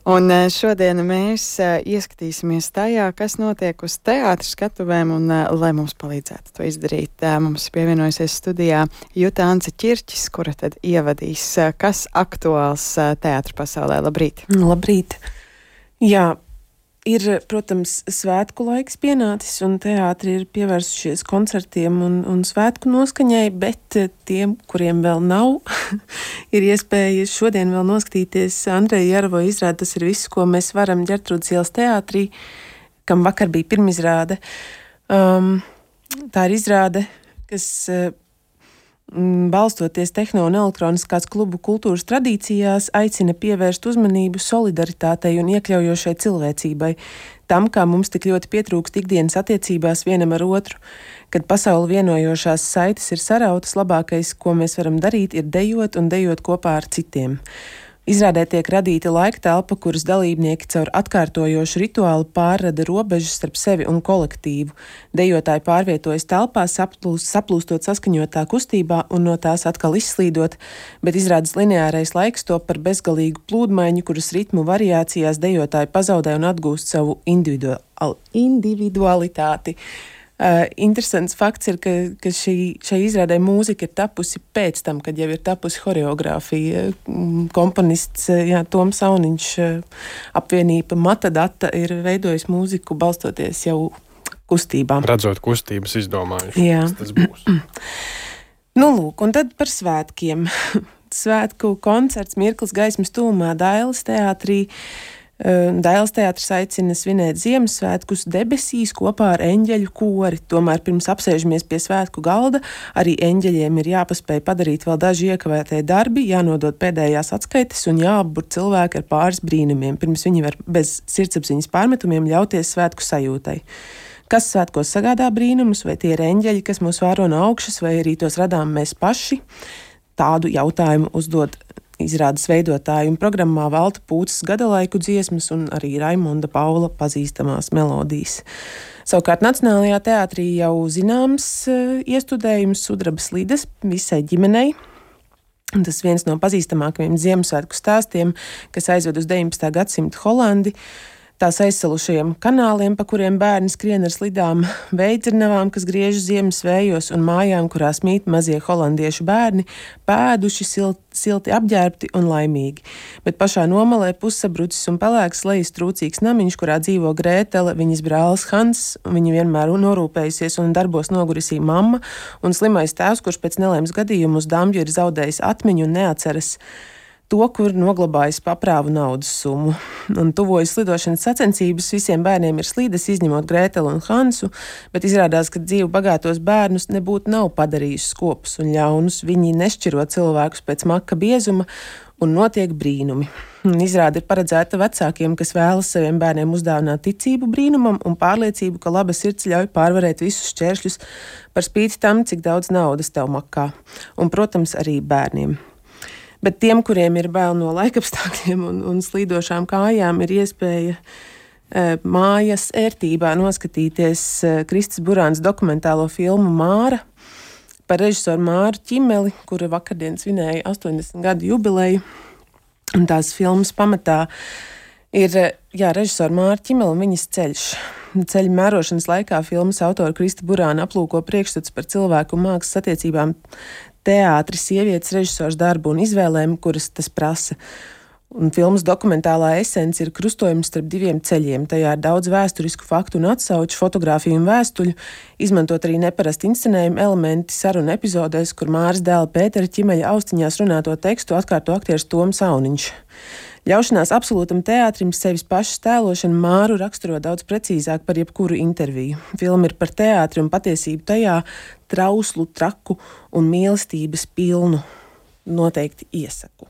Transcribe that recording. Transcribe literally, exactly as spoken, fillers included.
Un šodien mēs ieskatīsimies tajā, kas notiek uz teātra skatuvēm, un, lai mums palīdzētu to izdarīt, mums pievienojusies studijā Juta Ance Ķirķis, kura tad ievadīs, kas aktuāls teātra pasaulē. Labrīt! Labrīt! Jā, ir, protams, svētku laiks pienācis, un teātri ir pievērsušies koncertiem un, un svētku noskaņai, bet tiem, kuriem vēl nav, ir iespēja šodien vēl noskatīties Andreja Jāravo izrādi. Tas ir viss, ko mēs varam Ģertrūdes ielas teātrī, kam vakar bija pirmizrāde. Um, tā ir izrāde, kas balstoties tehno un elektroniskās klubu kultūras tradīcijās, aicina pievērst uzmanību solidaritātei un iekļaujošai cilvēcībai, tam, kā mums tik ļoti pietrūkst ikdienas attiecībās vienam ar otru. Kad pasauli vienojošās saites ir sarautas, labākais, ko mēs varam darīt, ir dejot un dejot kopā ar citiem. Izrādē tiek radīta laika telpa, kuras dalībnieki caur atkārtojošu rituālu pārrada robežas starp sevi un kolektīvu. Dejotāji pārvietojas telpā, saplūst, saplūstot saskaņotā kustībā un no tās atkal izslīdot, bet izrādes lineārais laiks top par bezgalīgu plūdmaiņu, kuras ritmu variācijās dejotāji pazaudē un atgūst savu individual, individualitāti. Uh, interesants fakts ir, ka, ka šī, šai izrādē mūzika ir tapusi pēc tam, kad jau ir tapusi horeogrāfija. Komponists jā, Toms Sauniņš, apvienība Matadata, ir veidojis mūziku balstoties jau kustībām. Redzot kustības, izdomājuši, jā. kas tas būs. Nu, lūk, un tad par svētkiem. Svētku koncerts Mirklis gaismas tūmā Dailes teātrī. Dailes teātris aicina svinēt Ziemassvētkus debesīs kopā ar eņģeļu kori. Tomēr pirms apsēžamies pie svētku galda, arī eņģeļiem ir jāpaspēj padarīt vēl daži iekavētie darbi, jānodod pēdējās atskaites un jāapbur cilvēki ar pāris brīnumiem, pirms viņi var bez sirdsapziņas pārmetumiem ļauties svētku sajūtai. Kas svētkos sagādā brīnumus, vai tie ir eņģeļi, kas mūs vēro no augšas, vai arī tos radām mēs paši? Tādu jautājumu uzdod izrādes veidotāji, un programmā velta Pūces gadalaiku dziesmas un arī Raimonda Paula pazīstamās melodijas. Savukārt Nacionālajā teātrī jau zināms iestudējums Sudrabas lidas visai ģimenei. Tas viens no pazīstamākajiem Ziemassvētku stāstiem, kas aizved uz deviņpadsmitā gadsimta Holandi. Tās aizsalušajiem kanāliem, pa kuriem bērni skrien ar slidām, veidzirnavām, kas griež ziemas vējos, un mājām, kurās mīt mazie holandiešu bērni, pēduši, silti, silti apģērbti un laimīgi. Bet pašā nomalē pussabrucis un pelēks lejas trūcīgs namiņš, kurā dzīvo Grētele, viņas brālis Hans, viņa vienmēr norūpējusies un darbos nogurisī mamma, un slimais tēvs, kurš pēc nelēmas gadījumu uz dambju ir zaudējis atmiņu un neatceras to, kur noglabājas paprāvu naudas summu. Un tuvojas slidošanas sacensības, visiem bērniem ir slīdes, izņemot Grētelu un Hansu, bet izrādās, ka dzīvu bagātos bērnus nebūtu nav padarījuši skopus un ļaunus. Viņi nešķiro cilvēkus pēc maka biezuma un notiek brīnumi. Un izrāde ir paredzēta vecākiem, kas vēlas saviem bērniem uzdāvināt ticību brīnumam un pārliecību, ka laba sirds ļauj pārvarēt visus šķēršļus par spīti tam, cik daudz naudas tev makā. Un, protams, arī bērniem. Bet tiem, kuriem ir bail no laikapstākļiem un, un slīdošām kājām, ir iespēja e, mājas ērtībā noskatīties e, Kristis Burāns dokumentālo filmu Māra par režisoru Māru Ķimeli, kura vakardien svinēja astoņdesmit gadu jubileju. Un tās filmas pamatā ir jā, režisora Māra Ķimela un viņas ceļš. Ceļa mērošanas laikā filmas autora Krista Burāna aplūko priekšstats par cilvēku un mākslas attiecībām, teātris, sievietes, režisors darbu un izvēlēm, kuras tas prasa. Un filmas dokumentālā esence ir krustojums starp diviem ceļiem. Tajā ir daudz vēsturisku faktu un atsauču, fotogrāfiju un vēstuļu, izmantot arī neparasti inscenējumu elementi sarunu epizodēs, kur Māras dēla Pētera Ķimeļa austiņās runāto tekstu atkārto aktieris Toms Sauniņš. Ļaušanās absolūtam teātrim sevis pašas tēlošana Māru raksturo daudz precīzāk par jebkuru interviju. Filma ir par teātri un patiesību tajā trauslu, traku un mīlestības pilnu. Noteikti iesaku.